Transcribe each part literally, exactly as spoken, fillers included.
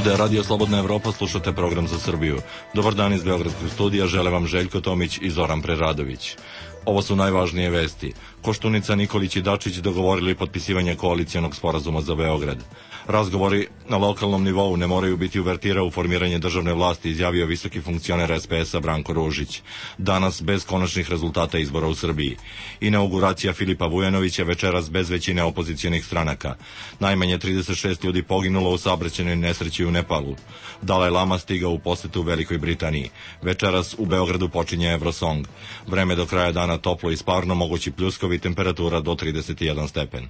Ovde je Radio Slobodna Evropa, slušate program za Srbiju. Dobar dan iz Beogradskog studija, žele vam Željko Tomić i Zoran Preradović. Ovo su najvažnije vesti. Koštunica, Nikolić i Dačić dogovorili potpisivanje koalicijonog sporazuma za Beograd. Razgovori na lokalnom nivou ne moraju biti uvertira u formiranje državne vlasti, izjavio visoki funkcioner es pe es-a Branko Ružić. Danas bez konačnih rezultata izbora u Srbiji. Inauguracija Filipa Vujanovića večeras bez većine opozicionih stranaka. Najmanje trideset šest ljudi poginulo u saobraćajnoj nesreći u Nepalu. Dalaj Lama stigao u posetu u Velikoj Britaniji. Večeras u Beogradu počinje Eurosong. Vreme do kraja dana toplo i sparno, mogući pljuskovi, temperatura do trideset jedan stepen.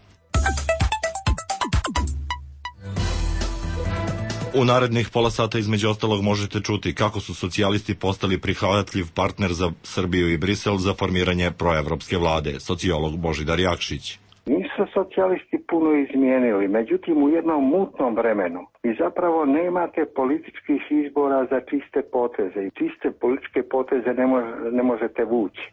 U narednih pola sata između ostalog možete čuti kako su socijalisti postali prihvatljiv partner za Srbiju i Brisel za formiranje proevropske vlade, sociolog Božidar Jakšić. Nisu socijalisti puno izmijenili, međutim u jednom mutnom vremenu i zapravo nemate političkih izbora za čiste poteze i čiste političke poteze ne, mož, ne možete vući.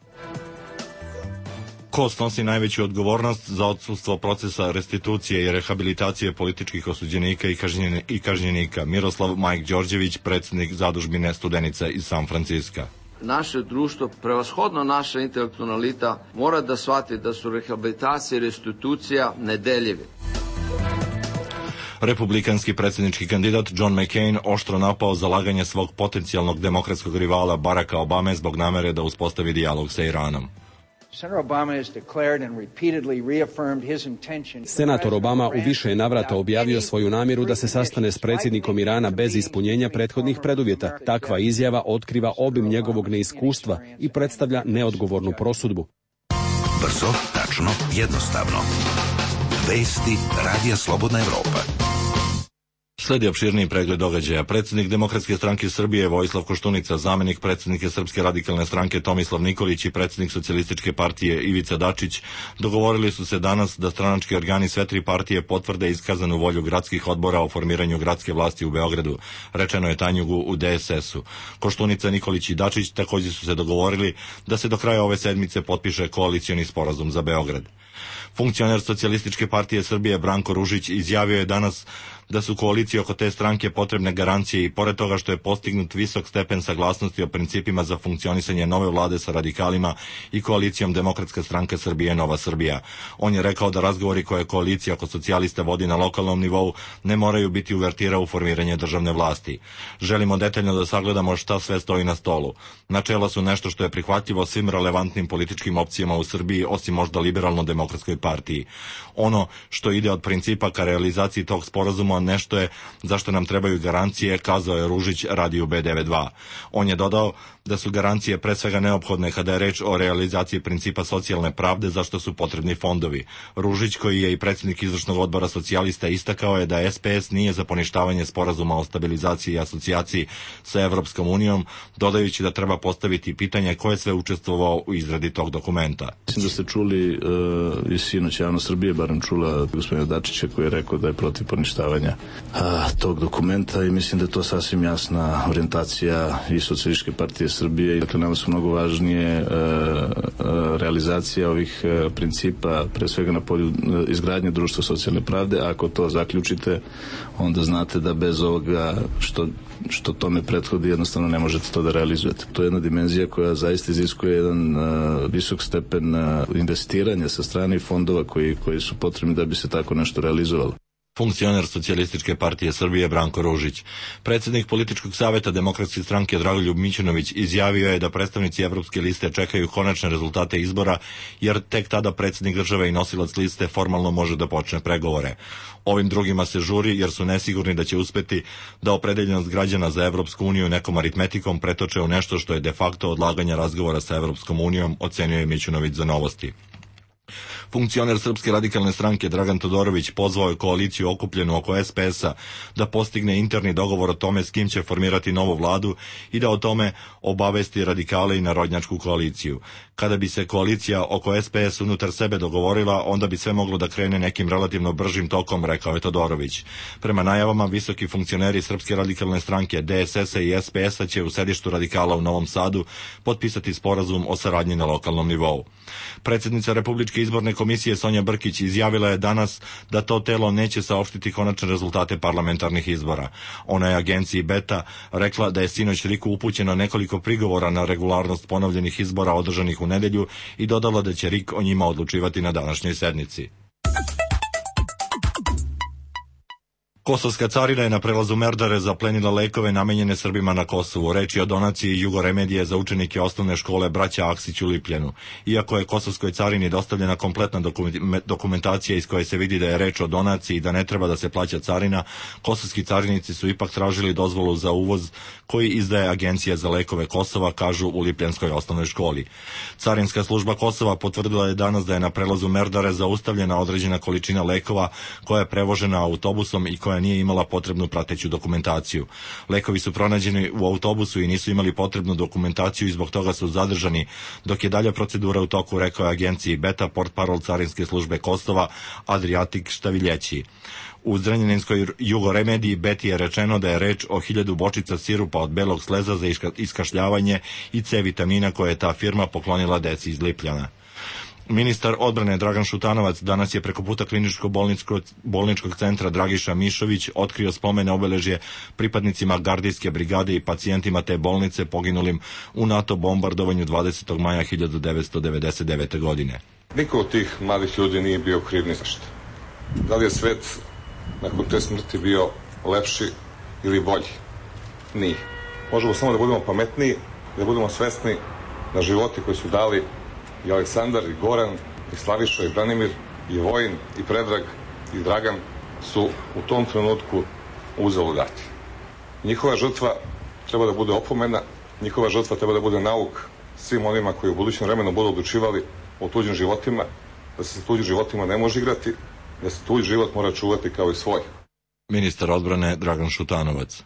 Ko snosi najveću odgovornost za odsustvo procesa restitucije i rehabilitacije političkih osuđenika i, kažnjen, i kažnjenika? Miroslav Majk Đorđević, predsjednik zadužbine Studenica iz San Franciska. Naše društvo, prevashodno naša intelektualna elita, mora da shvati da su rehabilitacija i restitucija nedeljive. Republikanski predsjednički kandidat John McCain oštro napao zalaganje svog potencijalnog demokratskog rivala Baracka Obame zbog namere da uspostavi dijalog sa Iranom. Senator Obama u više navrata objavio svoju namjeru da se sastane s predsjednikom Irana bez ispunjenja prethodnih preduvjeta. Takva izjava otkriva obim njegovog neiskustva i predstavlja neodgovornu prosudbu. Brzo, tačno, jednostavno. Vesti Radija Slobodna Evropa. Sledi opširniji pregled događaja. Predsjednik Demokratske stranke Srbije Vojislav Koštunica, zamenik predsjednika Srpske radikalne stranke Tomislav Nikolić i predsjednik Socijalističke partije Ivica Dačić dogovorili su se danas da stranački organi sve tri partije potvrde iskazanu volju gradskih odbora o formiranju gradske vlasti u Beogradu, rečeno je Tanjugu u de es es-u. Koštunica, Nikolić i Dačić također su se dogovorili da se do kraja ove sedmice potpiše koalicioni sporazum za Beograd. Funkcioner Socijalističke partije Srbije Branko Ružić izjavio je danas da su koaliciji oko te stranke potrebne garancije i pored toga što je postignut visok stepen saglasnosti o principima za funkcionisanje nove vlade sa radikalima i koalicijom Demokratska stranka Srbije Nova Srbija. On je rekao da razgovori koje koalicija oko socijalista vodi na lokalnom nivou ne moraju biti uvertira u formiranje državne vlasti. Želimo detaljno da sagledamo šta sve stoji na stolu. Načela su nešto što je prihvatljivo svim relevantnim političkim opcijama u Srbiji, osim možda liberalno-demokratskoj partiji. Ono što ide od principa ka realizaciji tog sporazuma nešto je zašto nam trebaju garancije, kazao je Ružić radiju be devedeset dva. On je dodao da su garancije pre svega neophodne kada je reč o realizaciji principa socijalne pravde, zašto su potrebni fondovi. Ružić, koji je i predsjednik izvršnog odbora socijalista, istakao je da es pe es nije za poništavanje sporazuma o stabilizaciji i asocijaciji sa Evropskom unijom, dodajući da treba postaviti pitanje ko je sve učestvovao u izradi tog dokumenta. Mislim da ste čuli uh, i sinoć javnost Srbije, barem čula gospodina Dačića koji je rekao da je protiv poništavanja a, tog dokumenta i mislim da je to sasvim jasna orijentacija i Socijalističke partije Srbije. Dakle, nama su mnogo važnije a, a, realizacija ovih a, principa, pre svega na polju a, izgradnje društva socijalne pravde. Ako to zaključite, onda znate da bez ovoga što, što tome prethodi jednostavno ne možete to da realizujete. To je jedna dimenzija koja zaista iziskuje jedan a, visok stepen a, investiranja sa strane fondova koji, koji su potrebni da bi se tako nešto realizovalo. Funkcioner Socijalističke partije Srbije Branko Ružić. Predsjednik političkog savjeta Demokratske stranke Dragoljub Mićunović izjavio je da predstavnici Evropske liste čekaju konačne rezultate izbora, jer tek tada predsjednik države i nosilac liste formalno može da počne pregovore. Ovim drugima se žuri jer su nesigurni da će uspeti da opredeljenost građana za Evropsku uniju nekom aritmetikom pretoče u nešto što je de facto odlaganje razgovora sa Evropskom unijom, ocenio je Mićunović za Novosti. Funkcioner Srpske radikalne stranke Dragan Todorović pozvao je koaliciju okupljenu oko es pe es-a da postigne interni dogovor o tome s kim će formirati novu vladu i da o tome obavesti radikale i narodnjačku koaliciju. Kada bi se koalicija oko es pe es unutar sebe dogovorila, onda bi sve moglo da krene nekim relativno bržim tokom, rekao je Todorović. Prema najavama, visoki funkcioneri Srpske radikalne stranke, de es es-a i es pe es-a će u sedištu radikala u Novom Sadu potpisati sporazum o saradnji na lokalnom nivou. Predsjednica Republičke izborne komisije Sonja Brkić izjavila je danas da to telo neće saopštiti konačne rezultate parlamentarnih izbora. Ona je agenciji Beta rekla da je sinoć RIK-u upućeno nekoliko prigovora na regularnost ponovljenih izbora održanih u nedelju i dodala da će RIK o njima odlučivati na današnjoj sednici. Kosovska carina je na prelazu Merdare zaplenila lekove namenjene Srbima na Kosovu. Reč je o donaciji Jugoremedije za učenike osnovne škole Braća Aksić u Lipljanu. Iako je Kosovskoj carini dostavljena kompletna dokumentacija iz koje se vidi da je reč o donaciji i da ne treba da se plaća carina, kosovski carinici su ipak tražili dozvolu za uvoz koji izdaje Agencija za lekove Kosova, kažu u Lipljanskoj osnovnoj školi. Carinska služba Kosova potvrdila je danas da je na prelazu Merdare zaustavljena određena količina lekova koja je prevožena autobusom i koja nije imala potrebnu prateću dokumentaciju. Lekovi su pronađeni u autobusu i nisu imali potrebnu dokumentaciju i zbog toga su zadržani, dok je dalja procedura u toku, rekao je agenciji Beta portparol Carinske službe Kosova Adriatik Štaviljeći. U Zrenjaninskoj Jugoremediji Beti je rečeno da je reč o hiljadu bočica sirupa od belog sleza za iskašljavanje i C vitamina koje je ta firma poklonila deci iz Lipljana. Ministar odbrane Dragan Šutanovac danas je preko puta kliničko-bolničkog centra Dragiša Mišović otkrio spomene obeležje pripadnicima gardijske brigade i pacijentima te bolnice poginulim u NATO bombardovanju dvadesetog maja hiljadu devetsto devedeset devete. godine. Niko od tih mladih ljudi nije bio kriv ni za šta. Da li je svet nakon te smrti bio lepši ili bolji? Nije. Možemo samo da budemo pametniji, da budemo svesni na životi koji su dali i Aleksandar, i Goran, i Slaviša, i Branimir, i Vojin, i Predrag, i Dragan su u tom trenutku uzeli dati. Njihova žrtva treba da bude opomena, njihova žrtva treba da bude nauk svim onima koji u budućem vremenu budu odlučivali o tuđim životima, da se sa tuđim životima ne može igrati, da se tuđi život mora čuvati kao i svoj. Ministar odbrane Dragan Šutanovac.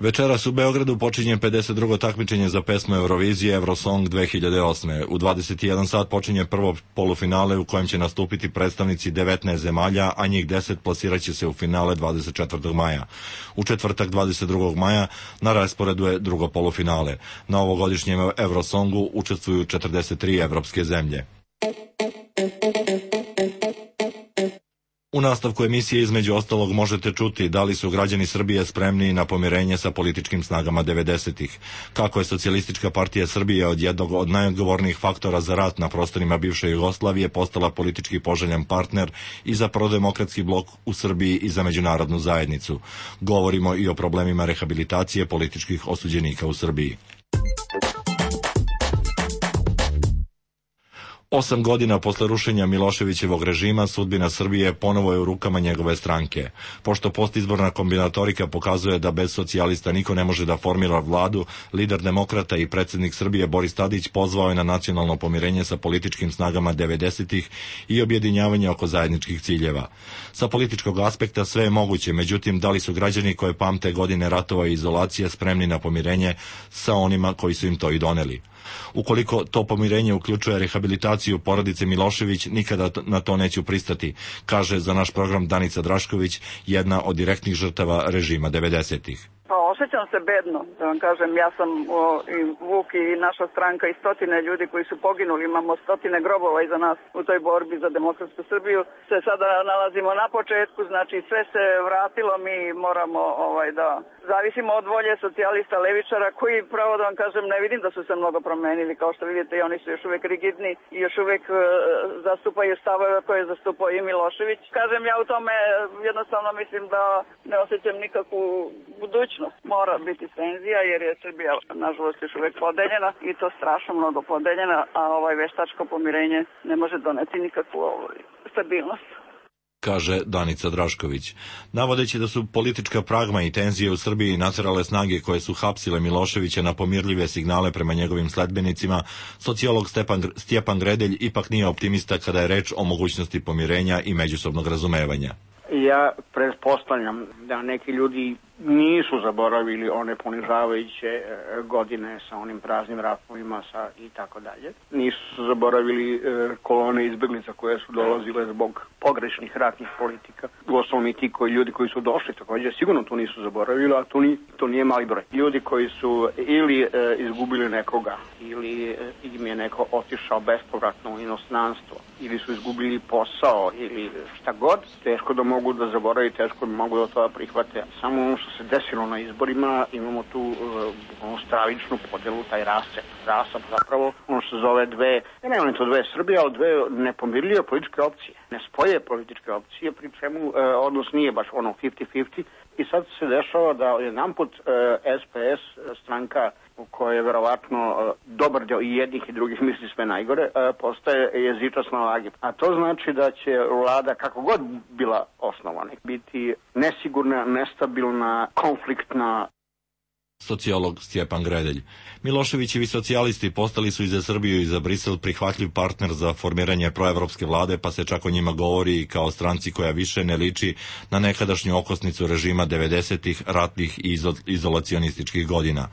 Večeras u Beogradu počinje pedeset drugo takmičenje za pesmu Eurovizije Eurosong dve hiljade osme. U dvadeset jedan sat počinje prvo polufinale u kojem će nastupiti predstavnici devetnaest zemalja, a njih deset plasiraće se u finale dvadeset četvrtog maja. U četvrtak dvadeset drugog maja na rasporedu je drugo polufinale. Na ovogodišnjem Eurosongu učestvuju četrdeset tri evropske zemlje. U nastavku emisije između ostalog možete čuti da li su građani Srbije spremni na pomirenje sa političkim snagama devedesetih, kako je Socijalistička partija Srbije od jednog od najodgovornijih faktora za rat na prostorima bivše Jugoslavije postala politički poželjan partner i za prodemokratski blok u Srbiji i za međunarodnu zajednicu. Govorimo i o problemima rehabilitacije političkih osuđenika u Srbiji. Osam godina posle rušenja Miloševićevog režima sudbina Srbije ponovo je u rukama njegove stranke. Pošto postizborna kombinatorika pokazuje da bez socijalista niko ne može da formira vladu, lider demokrata i predsjednik Srbije Boris Tadić pozvao je na nacionalno pomirenje sa političkim snagama devedesetih i objedinjavanje oko zajedničkih ciljeva. Sa političkog aspekta sve je moguće, međutim da li su građani koje pamte godine ratova i izolacije spremni na pomirenje sa onima koji su im to i doneli? Ukoliko to pomirenje uključuje rehabilitaciju porodice Milošević, nikada na to neću pristati, kaže za naš program Danica Drašković, jedna od direktnih žrtava režima devedesetih. Pa osjećam se bedno, da vam kažem, ja sam o, i Vuk i naša stranka i stotine ljudi koji su poginuli, imamo stotine grobova iza nas u toj borbi za demokratsku Srbiju, se sada nalazimo na početku, znači sve se vratilo, mi moramo ovaj, da zavisimo od volje socijalista, levičara, koji pravo da vam kažem ne vidim da su se mnogo promenili, kao što vidite i oni su još uvek rigidni i još uvek e, zastupaju stavove koje je zastupao i Milošević. Kažem, ja u tome jednostavno mislim da ne osjećam nikakvu budućnost. Mora biti tenzija jer je Srbija nažalost još uvek podeljena i to strašno mnogo podeljena, a ovaj veštačko pomirenje ne može doneti nikakvu ovaj, stabilnost, kaže Danica Drašković. Navodeći da su politička pragma i tenzije u Srbiji naterale snage koje su hapsile Miloševića na pomirljive signale prema njegovim sledbenicima, sociolog Stepan, Stjepan Gredelj ipak nije optimista kada je reč o mogućnosti pomirenja i međusobnog razumevanja. Ja pretpostavljam da neki ljudi nisu zaboravili one ponižavajuće godine sa onim praznim ratovima sa i tako dalje. Nisu zaboravili kolone izbeglica koje su dolazile zbog pogrešnih ratnih politika. Uostalom i ti koji, ljudi koji su došli također sigurno to nisu zaboravili, a to, ni, to nije mali broj. Ljudi koji su ili e, izgubili nekoga, ili e, im je neko otišao bespovratno u inostranstvo, ili su izgubili posao, ili šta god, teško da mogu da zaboravi, teško da mogu da to prihvate. Samo ono što se desilo na izborima, imamo tu uh, stravičnu podelu, taj rascep. Rasap zapravo, ono što se zove dve, ne nema to dve Srbije, ali dve nepomirljive političke opcije. Ne spoje političke opcije, pri čemu uh, odnos nije baš ono pedeset pedeset. I sad se dešava da jedanput uh, S P S, stranka u kojoj je verovatno uh, dobar deo i jednih i drugih misli sve najgore, uh, postaje jezičasna vagi. A to znači da će vlada, kako god bila osnovana, biti nesigurna, nestabilna, konfliktna. Sociolog Stjepan Gredelj. Miloševićevi socijalisti postali su i za Srbiju i za Brisel prihvatljiv partner za formiranje proevropske vlade, pa se čak o njima govori kao stranci koja više ne liči na nekadašnju okosnicu režima devedesetih ratnih i izolacionističkih godina.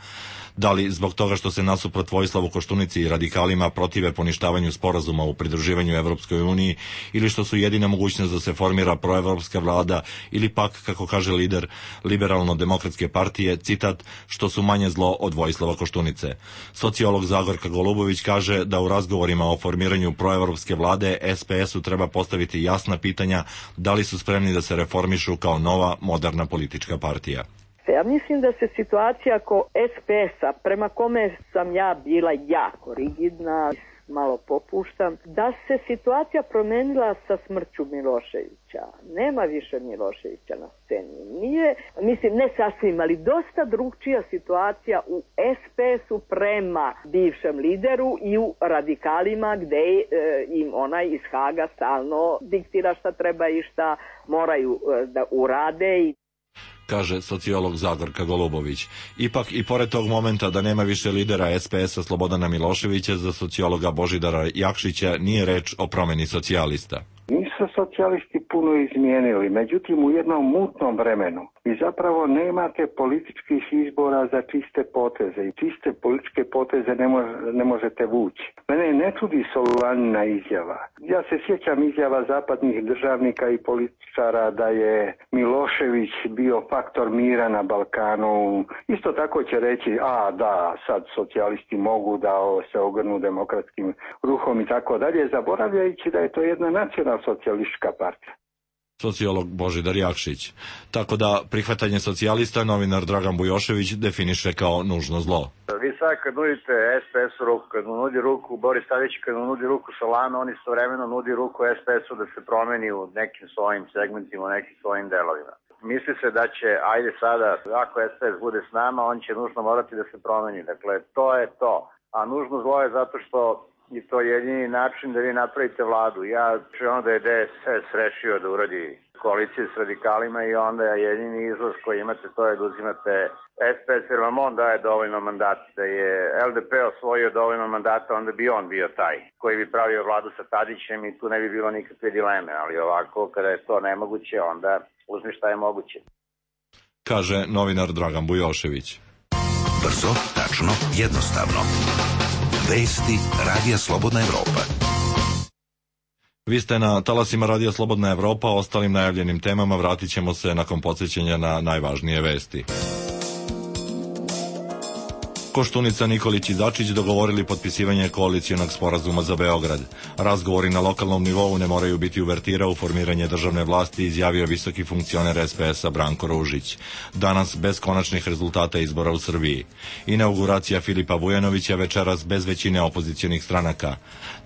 Da li zbog toga što se nasuprot Vojislavu Koštunici i radikalima protive poništavanju sporazuma u pridruživanju Evropskoj uniji, ili što su jedina mogućnost da se formira proevropska vlada, ili pak, kako kaže lider Liberalno-demokratske partije, citat, što su manje zlo od Vojislava Koštunice. Sociolog Zagorka Golubović kaže da u razgovorima o formiranju proevropske vlade S P S-u treba postaviti jasna pitanja da li su spremni da se reformišu kao nova, moderna politička partija. Ja mislim da se situacija oko S P S-a, prema kome sam ja bila jako rigidna, malo popuštam, da se situacija promenila sa smrću Miloševića. Nema više Miloševića na sceni. Nije, mislim, ne sasvim, ali dosta drugčija situacija u S P S-u prema bivšem lideru i u radikalima gde e, im onaj iz Haga stalno diktira šta treba i šta moraju e, da urade i kaže sociolog Zagorka Golubović. Ipak i pored tog momenta da nema više lidera S P S-a Slobodana Miloševića, za sociologa Božidara Jakšića nije reč o promeni socijalista. Nisu socijalisti puno izmijenili, međutim u jednom mutnom vremenu i zapravo nemate političkih izbora za čiste poteze i čiste političke poteze ne, mož, ne možete vući. Mene ne čudi Solulanina izjava. Ja se sjećam izjava zapadnih državnika i političara da je Milošević bio faktor mira na Balkanu. Isto tako će reći, a da, sad socijalisti mogu da se ogrnu demokratskim ruhom i tako dalje, zaboravljajući da je to jedna nacionalna socijalistička partija. Sociolog Božidar Jakšić. Tako da prihvatanje socijalista novinar Dragan Bujošević definiše kao nužno zlo. Vi sad kad nudite S P S-u ruku, kad mu nudi ruku Boris Tadić, kad mu nudi ruku Solana, on istovremeno nudi ruku S P S-u da se promeni u nekim svojim segmentima, u nekim svojim delovima. Misli se da će, ajde sada, ako S P S bude s nama, on će nužno morati da se promeni. Dakle, to je to. A nužno zlo je zato što i to je jedini način da vi napravite vladu. Ja ću onda je D S S rešio da uradi koalicije s radikalima i onda je jedini izlaz koji imate to je da uzimate S P S jer vam on daje dovoljno mandata. Da je L D P osvojio dovoljno mandata, onda bi on bio taj koji bi pravio vladu sa Tadićem i tu ne bi bilo nikakve dileme. Ali ovako, kada je to nemoguće, onda uzmi šta je moguće. Kaže novinar Dragan Bujošević. Brzo, tačno, jednostavno. Vesti Radija Slobodna Evropa. Vi ste na talasima Radija Slobodna Evropa, ostalim najavljenim temama vratit ćemo se nakon podsjećanja na najvažnije vesti. Koštunica, Nikolić i Dačić dogovorili potpisivanje koalicijonog sporazuma za Beograd. Razgovori na lokalnom nivou ne moraju biti uvertira u formiranje državne vlasti, izjavio visoki funkcioner S P S-a Branko Ružić. Danas bez konačnih rezultata izbora u Srbiji. Inauguracija Filipa Vujanovića večeras bez većine opozicionih stranaka.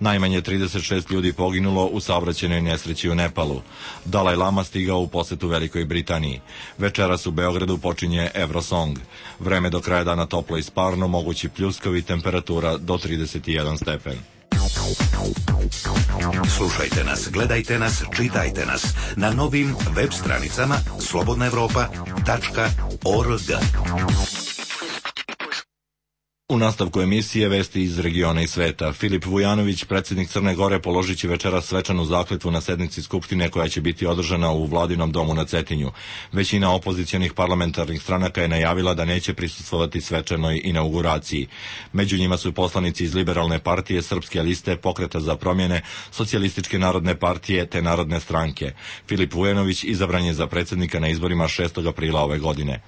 Najmanje trideset šest ljudi poginulo u saobraćajnoj nesreći u Nepalu. Dalaj Lama stigao u posetu Velikoj Britaniji. Večeras u Beogradu počinje Eurosong. Vreme do kraja dana toplo i sparno, mogući pljuskovi, temperatura do trideset jedan stepen. Slušajte nas, gledajte nas, čitajte nas na novim web stranicama slobodna evropa tačka org. U nastavku emisije vesti iz regiona i sveta. Filip Vujanović, predsjednik Crne Gore, položit će večeras svečanu zakletvu na sednici Skupštine koja će biti održana u Vladinom domu na Cetinju. Većina opozicionih parlamentarnih stranaka je najavila da neće prisustvovati svečanoj inauguraciji. Među njima su poslanici iz Liberalne partije, Srpske liste, Pokreta za promjene, Socijalističke narodne partije te Narodne stranke. Filip Vujanović izabran je za predsjednika na izborima šestog aprila ove godine.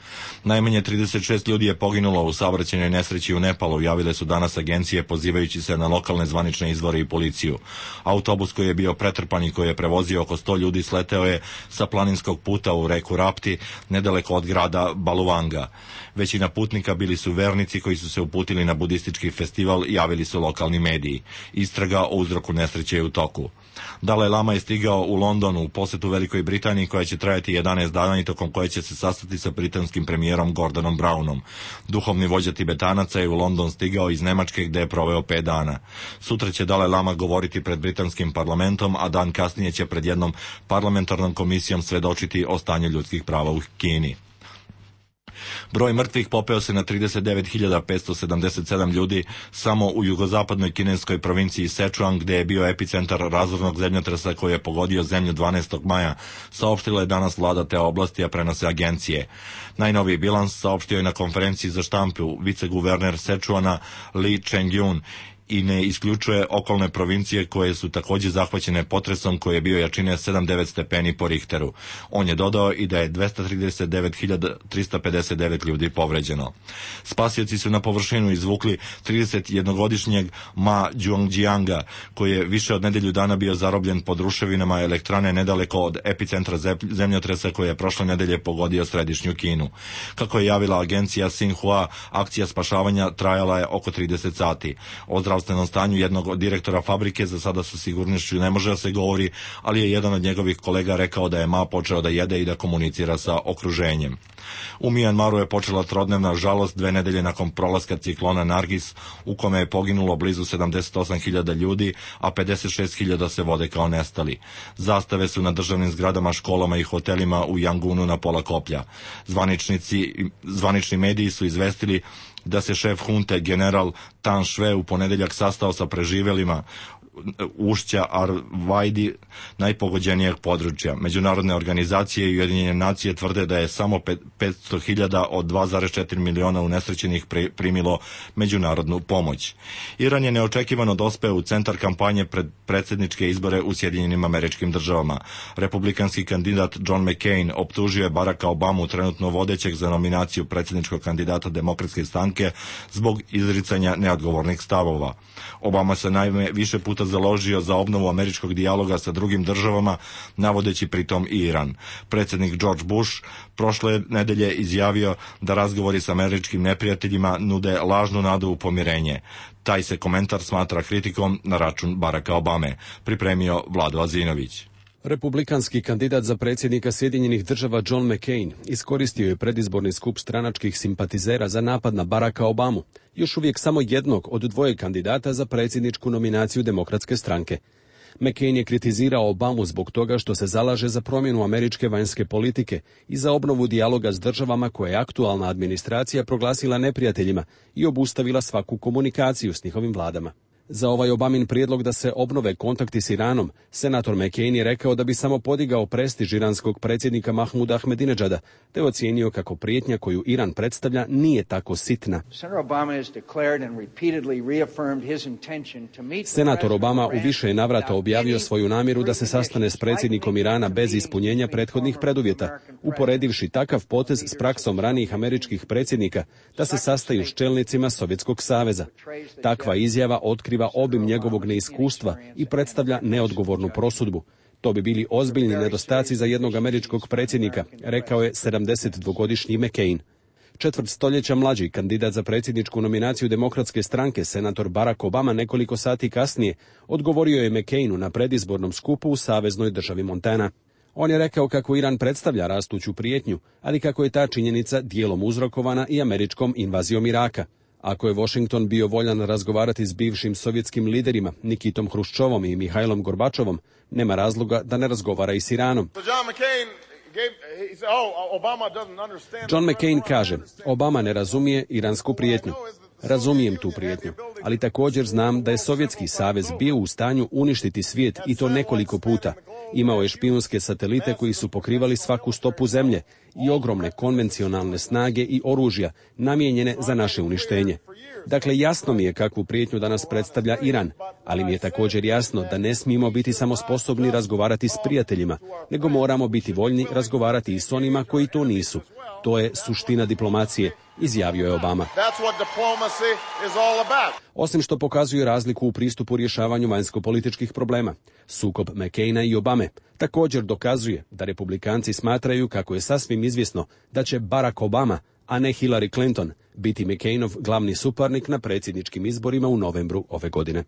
Najmanje trideset šest ljudi je poginulo u saobraćajnoj nesreći u Nepalu, javile su danas agencije pozivajući se na lokalne zvanične izvore i policiju. Autobus koji je bio pretrpan i koji je prevozio oko sto ljudi sleteo je sa planinskog puta u reku Rapti, nedaleko od grada Baluvanga. Većina putnika bili su vernici koji su se uputili na budistički festival, javili su lokalni mediji. Istraga o uzroku nesreće je u toku. Dalaj Lama je stigao u London u posetu Velikoj Britaniji koja će trajati jedanaest dana i tokom koje će se sastati sa britanskim premijerom Gordonom Brownom. Duhovni vođa Tibetanaca je u London stigao iz Nemačke gde je proveo pet dana. Sutra će Dalaj Lama govoriti pred britanskim parlamentom, a dan kasnije će pred jednom parlamentarnom komisijom svedočiti o stanju ljudskih prava u Kini. Broj mrtvih popeo se na trideset devet hiljada petsto sedamdeset sedam ljudi samo u jugozapadnoj kineskoj provinciji Sichuan, gde je bio epicentar razornog zemljotresa koji je pogodio zemlju dvanaestog maja, saopštila je danas vlada te oblasti, a prenose agencije. Najnoviji bilans saopštio je na konferenciji za štampu viceguverner Sichuana Li Chengyun i ne isključuje okolne provincije koje su također zahvaćene potresom koji je bio jačine sedam zarez devet stepeni po Richteru. On je dodao i da je dvesta trideset devet hiljada trista pedeset devet ljudi povređeno. Spasioci su na površinu izvukli tridesetjednogodišnjeg Ma Zhongjianga, koji je više od nedelju dana bio zarobljen pod ruševinama elektrane nedaleko od epicentra zemljotresa koji je prošle nedelje pogodio središnju Kinu. Kako je javila agencija Xinhua, akcija spašavanja trajala je oko trideset sati. O zdravstvenom stanju jednog od direktora fabrike za sada sa sigurnošću ne može da se govori, ali je jedan od njegovih kolega rekao da je Ma počeo da jede i da komunicira sa okruženjem. U Mijanmaru je počela trodnevna žalost dve nedelje nakon prolaska ciklona Nargis, u kome je poginulo blizu sedamdeset osam hiljada ljudi, a pedeset šest hiljada se vode kao nestali. Zastave su na državnim zgradama, školama i hotelima u Yangunu na pola koplja. Zvaničnici, zvanični mediji su izvestili da se šef hunte general Tan Shwe u ponedeljak sastao sa preživelima ušća Arvajdi, najpogođenijeg područja. Međunarodne organizacije i Ujedinjene nacije tvrde da je samo petsto hiljada od dva zarez četiri miliona unesrećenih primilo međunarodnu pomoć. Iran je neočekivano dospeo u centar kampanje pred predsjedničke izbore u Sjedinjenim Američkim Državama. Republikanski kandidat John McCain optužio je Baracka Obamu, trenutno vodećeg za nominaciju predsjedničkog kandidata Demokratske stranke, zbog izricanja neodgovornih stavova. Obama se naime više puta založio za obnovu američkog dijaloga sa drugim državama, navodeći pritom i Iran. Predsjednik George Bush prošle nedelje izjavio da razgovori s američkim neprijateljima nude lažnu nadu u pomirenje. Taj se komentar smatra kritikom na račun Baracka Obame, pripremio Vlado Azinović. Republikanski kandidat za predsjednika Sjedinjenih Država John McCain iskoristio je predizborni skup stranačkih simpatizera za napad na Baracka Obamu, još uvijek samo jednog od dvoje kandidata za predsjedničku nominaciju Demokratske stranke. McCain je kritizirao Obamu zbog toga što se zalaže za promjenu američke vanjske politike i za obnovu dijaloga s državama koje je aktualna administracija proglasila neprijateljima i obustavila svaku komunikaciju s njihovim vladama. Za ovaj Obamin prijedlog da se obnove kontakti s Iranom, senator McCain je rekao da bi samo podigao prestiž iranskog predsjednika Mahmuda Ahmadinejada, te ocijenio kako prijetnja koju Iran predstavlja nije tako sitna. Senator Obama u više navrata objavio svoju namjeru da se sastane s predsjednikom Irana bez ispunjenja prethodnih preduvjeta, uporedivši takav potez s praksom ranijih američkih predsjednika da se sastaju s čelnicima Sovjetskog saveza. Takva izjava otkriva obim njegovog neiskustva i predstavlja neodgovornu prosudbu. To bi bili ozbiljni nedostaci za jednog američkog predsjednika, rekao je sedamdesetdvogodišnji McCain. Četvrt stoljeća mlađi kandidat za predsjedničku nominaciju Demokratske stranke, senator Barack Obama, nekoliko sati kasnije odgovorio je McCainu na predizbornom skupu u saveznoj državi Montana. On je rekao kako Iran predstavlja rastuću prijetnju, ali kako je ta činjenica dijelom uzrokovana i američkom invazijom Iraka. Ako je Washington bio voljan razgovarati s bivšim sovjetskim liderima Nikitom Hruščovom i Mihajlom Gorbačovom, nema razloga da ne razgovara i s Iranom. John McCain kaže, Obama ne razumije iransku prijetnju. Razumijem tu prijetnju, ali također znam da je Sovjetski savez bio u stanju uništiti svijet i to nekoliko puta. Imao je špijunske satelite koji su pokrivali svaku stopu zemlje i ogromne konvencionalne snage i oružja namijenjene za naše uništenje. Dakle, jasno mi je kakvu prijetnju danas predstavlja Iran, ali mi je također jasno da ne smijemo biti samo sposobni razgovarati s prijateljima, nego moramo biti voljni razgovarati i s onima koji to nisu. To je suština diplomacije, izjavio je Obama. Osim što pokazuje razliku u pristupu rješavanju vanjsko-političkih problema, sukob McCaina i Obame također dokazuje da republikanci smatraju kako je sasvim izvjesno da će Barack Obama, a ne Hillary Clinton, biti McCainov glavni suparnik na predsjedničkim izborima u novembru ove godine.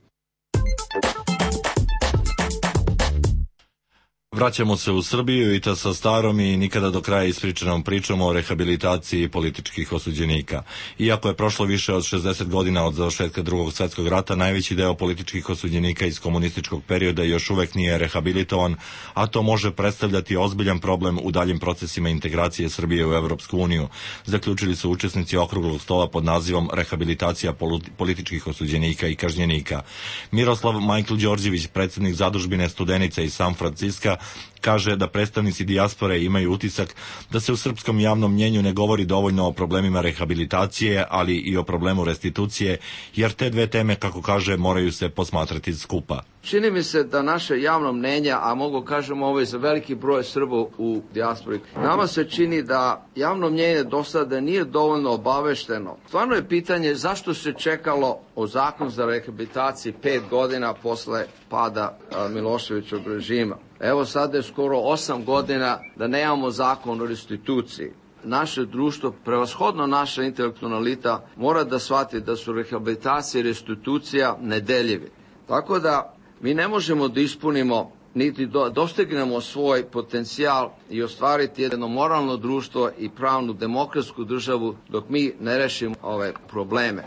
Vraćamo se u Srbiju i to sa starom i nikada do kraja ispričanom pričom o rehabilitaciji političkih osuđenika. Iako je prošlo više od šezdeset godina od završetka Drugog svjetskog rata, najveći deo političkih osuđenika iz komunističkog perioda još uvek nije rehabilitovan, a to može predstavljati ozbiljan problem u daljim procesima integracije Srbije u Evropsku uniju, zaključili su učesnici okruglog stola pod nazivom Rehabilitacija političkih osuđenika i kažnjenika. Miroslav Majkl Đorđević, predsjednik Zadužbine Studenica iz San Franciska, kaže da predstavnici dijaspore imaju utisak da se u srpskom javnom mnjenju ne govori dovoljno o problemima rehabilitacije, ali i o problemu restitucije, jer te dve teme, kako kaže, moraju se posmatrati skupa. Čini mi se da naše javno mnenje, a mogu kažemo ovo je za veliki broj Srba u dijaspori, nama se čini da javno mnjenje do sada nije dovoljno obavešteno. Stvarno je pitanje zašto se čekalo o zakon za rehabilitaciju pet godina posle pada Miloševićevog režima. Evo sada je skoro osam godina da nemamo zakon o restituciji. Naše društvo, prevashodno naša intelektualna elita, mora da shvati da su rehabilitacija i restitucija nedeljivi. Tako da mi ne možemo da ispunimo niti do, dostignemo svoj potencijal i ostvariti jedno moralno društvo i pravnu demokratsku državu dok mi ne rešimo ove probleme,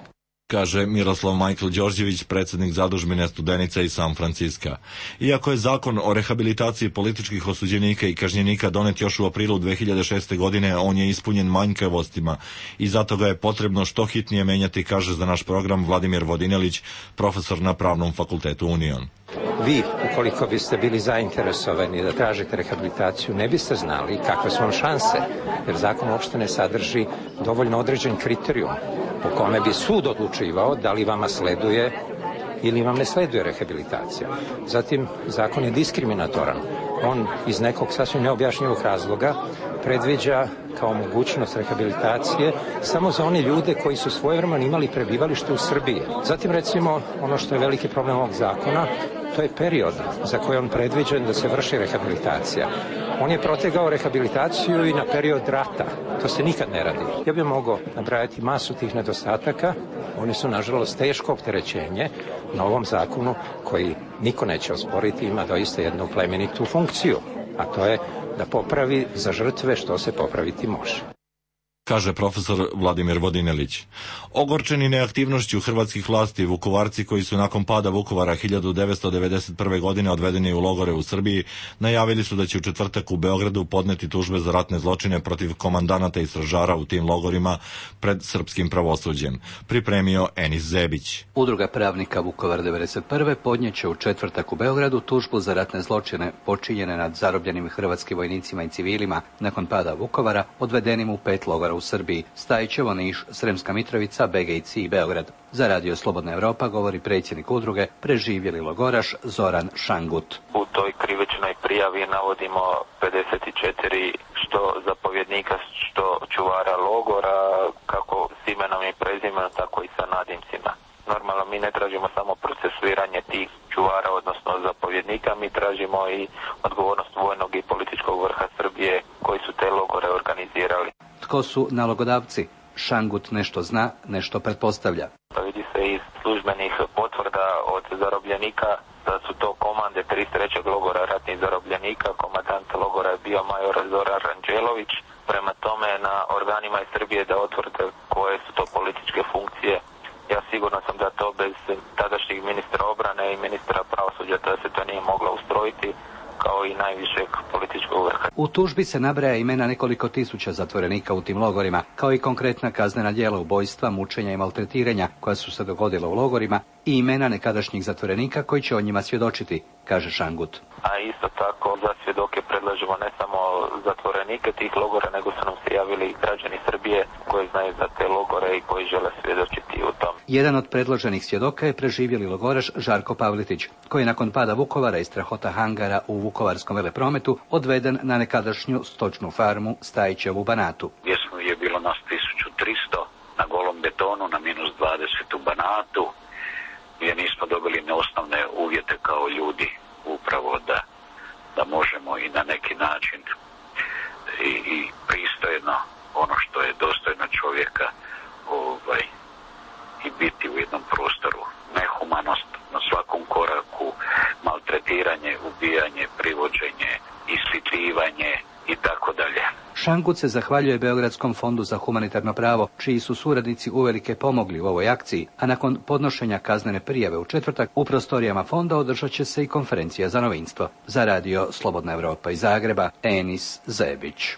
kaže Miroslav Majkl Đorđević, predsjednik Zadužbine Studenica iz San Franciska. Iako je zakon o rehabilitaciji političkih osuđenika i kažnjenika donet još u aprilu dve hiljade šeste. godine, on je ispunjen manjkavostima i zato ga je potrebno što hitnije menjati, kaže za naš program Vladimir Vodinelić, profesor na Pravnom fakultetu Union. Vi, ukoliko biste bili zainteresovani da tražite rehabilitaciju, ne biste znali kakve su vam šanse, jer zakon uopšte ne sadrži dovoljno određen kriterijum po kome bi sud odlučivao da li vama sleduje ili vam ne sleduje rehabilitacija. Zatim, zakon je diskriminatoran. On iz nekog sasvim neobjašnjivog razloga predviđa kao mogućnost rehabilitacije samo za one ljude koji su svojevremeno imali prebivalište u Srbiji. Zatim, recimo, ono što je veliki problem ovog zakona, to je period za koji on predviđen da se vrši rehabilitacija. On je protegao rehabilitaciju i na period rata. To se nikad ne radi. Ja bih mogao nabrajati masu tih nedostataka. Oni su, nažalost, teško opterećenje na ovom zakonu koji niko neće osporiti, ima doista jednu plemenitu funkciju, a to je da popravi za žrtve što se popraviti može, kaže profesor Vladimir Vodinelić. Ogorčeni neaktivnošću hrvatskih vlasti, Vukovarci koji su nakon pada Vukovara hiljadu devetsto devedeset prve. godine odvedeni u logore u Srbiji, najavili su da će u četvrtak u Beogradu podneti tužbe za ratne zločine protiv komandanata i stražara u tim logorima pred srpskim pravosuđem, pripremio Enis Zebić. Udruga pravnika Vukovar devedeset prve. podnijeće u četvrtak u Beogradu tužbu za ratne zločine počinjene nad zarobljenim hrvatskim vojnicima i civilima nakon pada Vukovara, odvedenim u pet logora u Srbiji, Stajićevo, Niš, Sremska Mitrovica, Begejci i Beograd. Za Radio Slobodna Evropa govori predsjednik udruge Preživjeli logoraš Zoran Šangut. U toj krivičnoj prijavi navodimo pedeset četiri što zapovjednika, što čuvara logora, kako s imenom i prezimenom, tako i sa nadimcima. Normalno mi ne tražimo samo procesuiranje tih čuvara, odnosno zapovjednika, mi tražimo i odgovornost vojnog i političkog vrha Srbije koji su te logore organizirali. Tko su nalogodavci? Šangut nešto zna, nešto pretpostavlja. Pa vidi se iz službenih potvrda od zarobljenika da su to komande trideset trećeg logora ratnih zarobljenika. Komandant logora je bio major Zoran Ranđelović. Prema tome na organima iz Srbije da otvrde koje su to političke funkcije. Ja sigurno sam da to bez tadašnjeg ministra obrane i ministra pravosuđa da se to nije moglo ustrojiti, kao i najvišeg političkog vrha. U tužbi se nabraja imena nekoliko tisuća zatvorenika u tim logorima, kao i konkretna kaznena djela ubojstva, mučenja i maltretiranja koja su se dogodila u logorima i imena nekadašnjih zatvorenika koji će o njima svjedočiti, kaže Šangut. A isto tako za svjedoke predlažemo ne samo zatvorenike tih logora, nego su nam se javili i građani Srbije koji znaju za te logore i koji žele svjedočiti u tom. Jedan od predloženih svjedoka je preživjeli logoraš Žarko Pavletić, koji je nakon pada Vukovara i strahota hangara u vukovarskom veleprometu odveden na nekadašnju stočnu farmu Stajićevu Banatu. Gdje smo je bilo nas tisuću tristo na golom betonu na minus dvadeset u Banatu, gdje nismo dobili ne osnovne uvjete kao ljudi upravo da, da možemo i na neki način i, i pristojno ono što je dostojno čovjeka ovaj, i biti u jednom prostoru. Nehumanost na svakom koraku, maltretiranje, ubijanje, privođenje, ishitrivanje i tako dalje. Šangut se zahvaljuje Beogradskom fondu za humanitarno pravo, čiji su suradnici uvelike pomogli u ovoj akciji, a nakon podnošenja kaznene prijave u četvrtak u prostorijama fonda održat će se i konferencija za novinstvo. Za radio Slobodna Evropa iz Zagreba, Enis Zebić.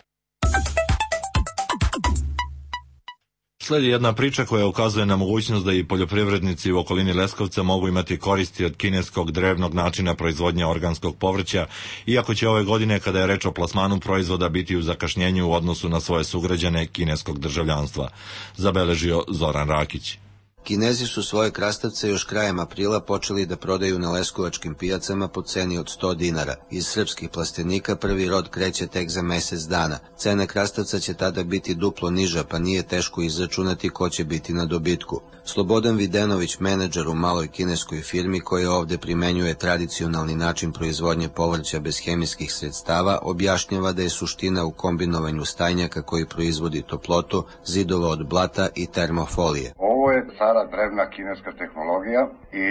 Slijedi jedna priča koja ukazuje na mogućnost da i poljoprivrednici u okolini Leskovca mogu imati koristi od kineskog drevnog načina proizvodnje organskog povrća, iako će ove godine, kada je reč o plasmanu proizvoda, biti u zakašnjenju u odnosu na svoje sugrađane kineskog državljanstva, zabeležio Zoran Rakić. Kinezi su svoje krastavce još krajem aprila počeli da prodaju na leskovačkim pijacama po ceni od sto dinara. Iz srpskih plastenika prvi rod kreće tek za mjesec dana. Cena krastavca će tada biti duplo niža, pa nije teško izračunati ko će biti na dobitku. Slobodan Videnović, menadžer u maloj kineskoj firmi koja ovdje primenjuje tradicionalni način proizvodnje povrća bez hemijskih sredstava, objašnjava da je suština u kombinovanju stajnjaka koji proizvodi toplotu, zidova od blata i termofolije. Ovo je stara drevna kineska tehnologija i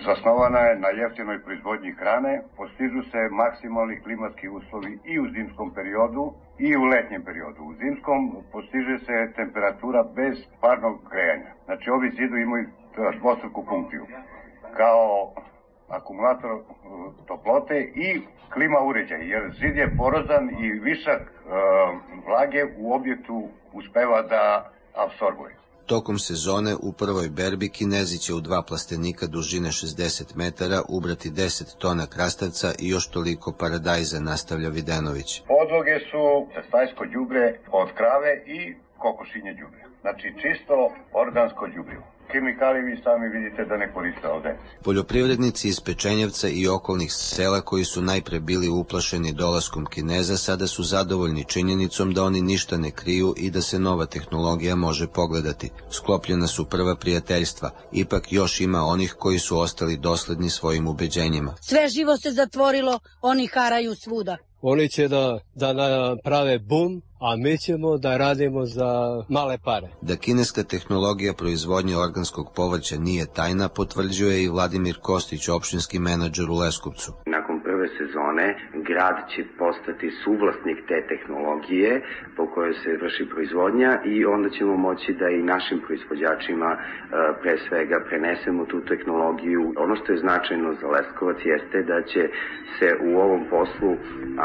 zasnovana je na jeftinoj proizvodnji hrane. Postižu se maksimalni klimatski uslovi i u zimskom periodu i u letnjem periodu. U zimskom postiže se temperatura bez parnog grejanja. Znači ovi zidovi imaju dvostruku funkciju kao akumulator toplote i klima uređaj, jer zid je porozan i višak e, vlage u objektu uspeva da apsorbuje. Tokom sezone u prvoj berbi Kinezi će u dva plastenika dužine šezdeset metara ubrati deset tona krastavca i još toliko paradajza, nastavlja Videnović. Podloge su stajsko đubre od krave i kokošinje đubre. Znači čisto organsko đubrivo. Kemikalije vi sami vidite da ne koriste ovde. Poljoprivrednici iz Pečenjevca i okolnih sela koji su najpre bili uplašeni dolaskom Kineza sada su zadovoljni činjenicom da oni ništa ne kriju i da se nova tehnologija može pogledati. Sklopljena su prva prijateljstva, ipak još ima onih koji su ostali dosledni svojim ubeđenjima. Sve živo se zatvorilo, oni haraju svuda. Oni će da, da naprave bum, a mi ćemo da radimo za male pare. Da kineska tehnologija proizvodnje organskog povrća nije tajna, potvrđuje i Vladimir Kostić, opštinski menadžer u Leskovcu. Nakon prve sezone grad će postati suvlasnik te tehnologije po kojoj se vrši proizvodnja i onda ćemo moći da i našim proizvođačima pre svega prenesemo tu tehnologiju. Ono što je značajno za Leskovac jeste da će se u ovom poslu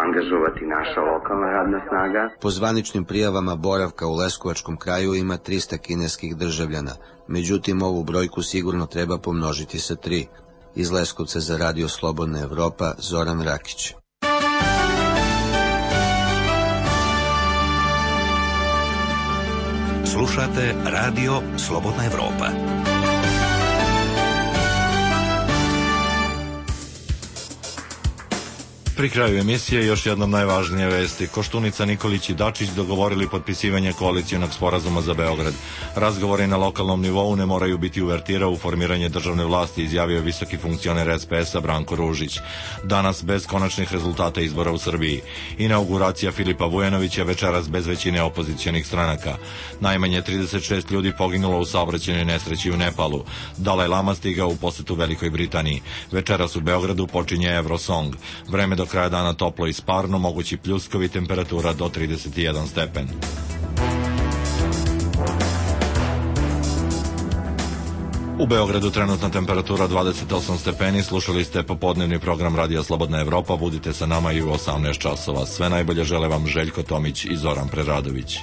angažovati naša lokalna radna snaga. Po zvaničnim prijavama boravka u Leskovačkom kraju ima trista kineskih državljana. Međutim, ovu brojku sigurno treba pomnožiti sa tri. Iz Leskovca za radio Slobodna Evropa, Zoran Rakić. Slušate radio Slobodna Evropa. Pri kraju emisije još jednom najvažnije vesti. Koštunica, Nikolić i Dačić dogovorili potpisivanje koalicijonog sporazuma za Beograd. Razgovori na lokalnom nivou ne moraju biti uvertira u formiranje državne vlasti, izjavio visoki funkcioner es pe es-a Branko Ružić. Danas bez konačnih rezultata izbora u Srbiji. Inauguracija Filipa Vujanovića večeras bez većine opozicionih stranaka. Najmanje trideset šest ljudi poginulo u saobraćajnoj nesreći u Nepalu. Dalaj Lama stigao u posetu Velikoj Britaniji. Večeras u Beogradu počinje Eurosong. Vreme do kraja dana toplo i sparno, mogući pljuskovi, temperatura do trideset jedan stepen. U Beogradu trenutna temperatura dvadeset osam stepeni, slušali ste popodnevni program Radija Slobodna Evropa, budite sa nama i u osamnaest časova. Sve najbolje žele vam Željko Tomić i Zoran Preradović.